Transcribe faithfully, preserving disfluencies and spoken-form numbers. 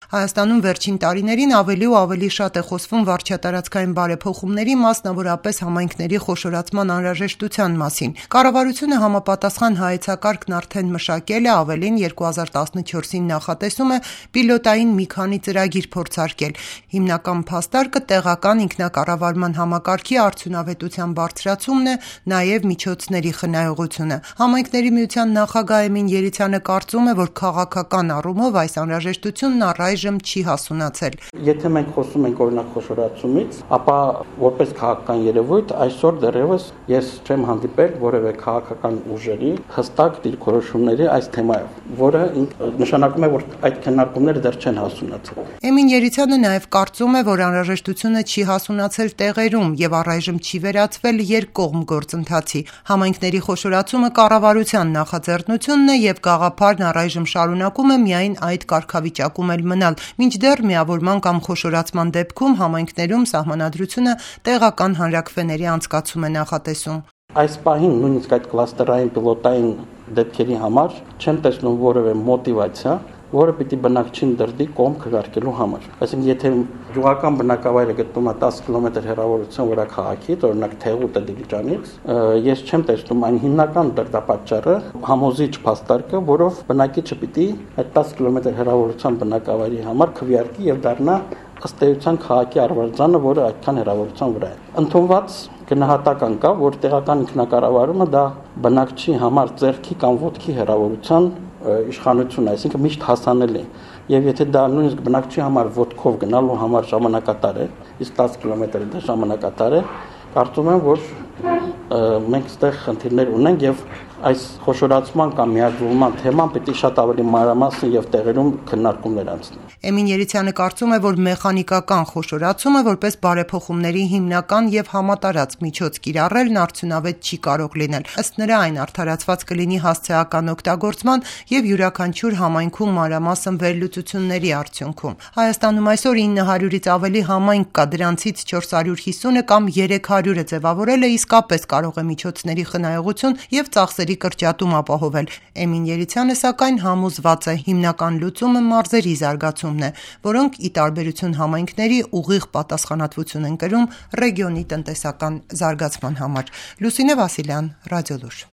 Հայաստանում վերջին տարիներին ավելի ու ավելի շատ է խոսվում վարչատարածքային բարեփոխումների, մասնավորապես համայնքների խոշորացման անհրաժեշտության մասին։ Կառավարությունը համապատասխան հայեցակարգն արդեն մշակել է, ավելին երկու հազար տասնչորսին նախատեսում է պիլոտային մի քանի ծրագիր փորձարկել։ Հիմնական փաստարկը տեղական ինքնակառավարման համակարգի արդյունավետության բարձրացումն է, նաև միջոցների խնայողությունը։ Համայնքների միության նախագահ Էմին Երիցյանը կարծում է, որ քաղաքական առումով այս անհրաժեշտությունն առայժմ չի հասունացել։ Եթե մենք խոսում ենք օրինակ խոշորացումից, ապա որպես քաղաքական երևույթ այսօր դեռևս ես չեմ հանդիպել որևէ քաղաքական ուժերի հստակ դիրքորոշումների այս թեմայով, որը նշանակում է, որ այդ քննարկումները դեռ չեն հասունացել։ Էմին Երիցյանը նաև կարծում է, որ անհրաժեշտությունը չի հասունացել տեղերում եւ առայժմ չի վերածվել երկկողմ գործընթացի։ Համայնքների խոշորացումը կառավարության նախաձեռնությունն է եւ գաղափարն առայժմ շարունակում է միայն այդ կարգավիճակում էլ մնալ, մինչդեռ միավորման կամ խոշորացման դեպքում համայնքներում սահմանադրությունը տեղական հանրաքվեների անցկացում է նախատեսում։ Այս պահին նույնիսկ այդ կլաստերային պիլոտային դեպքերի համար չեմ տեսնում որևէ մոտիվացիա, որը պիտի բնակչին դրդի կողմ քվեարկելու համար։ Այսինքն, եթե գյուղական բնակավայրը գտնվում է տասը կիլոմետր հեռավորության վրա քաղաքից, օրինակ Թեղուտը Դիլիջանից, ես չեմ տեսնում այն հիմնական դրդապատճառը, համոզիչ փաստարկը, որով բնակիչը պիտի այդ տասը կիլոմետր հեռավորության բնակավայրի համար քվեարկի եւ դառնա ըստ էության քաղաքի արվարձանը, որը այդքան հեռավորության վրա է։ Ընդունված գնահատական կա, որ տեղական ինքնակառավարումը դա բնակչի համար ձեռքի կամ ոտքի հեռավորության իշխանություն է, այսինքն միշտ հասանելի։ Եվ եթե դա նույնիսկ բնակչի համար ոտքով գնալու համար ժամանակատար է, իսկ տասը կիլոմետրը դա ժամանակատար է, կարծում եմ, որ մենք այստեղ խնդիրներ ունենք եւ այս խոշորացման կամ միաձուլման թեման պետք է շատ ավելի մանրամասն եւ տեղերում քննարկումներ անցնի։ Էմին Երիցյանը կարծում է, որ մեխանիկական խոշորացումը որպես բարեփոխումների հիմնական եւ համատարած միջոց կիրառելն արդյունավետ չի կարող լինել։ Ըստ նրա, այն արդարացված կլինի հասցեական օգտագործման եւ յուրաքանչյուր համայնքում մանրամասն վերլուծությունների արդյունքում։ Հայաստանում այսօր ինը հարյուրից ավելի համայնք կա, դրանցից չորս հարյուր հիսունը կամ երեք հարյուրը ձևավորելը իսկապես կարող է միջոցների խնայողություն եւ ծախսերի կրճատում ապահովել։ Էմին Երիցյանը սակայն համոզված է, հիմնական լուծումը մարզերի զարգացումն է, որոնք ի տարբերություն համայնքների ուղիղ պատասխանատվություն են կրում ռեգիոնի տնտեսական զարգացման համար։ Լուսինե Վասիլյան, Ռադիոլուր։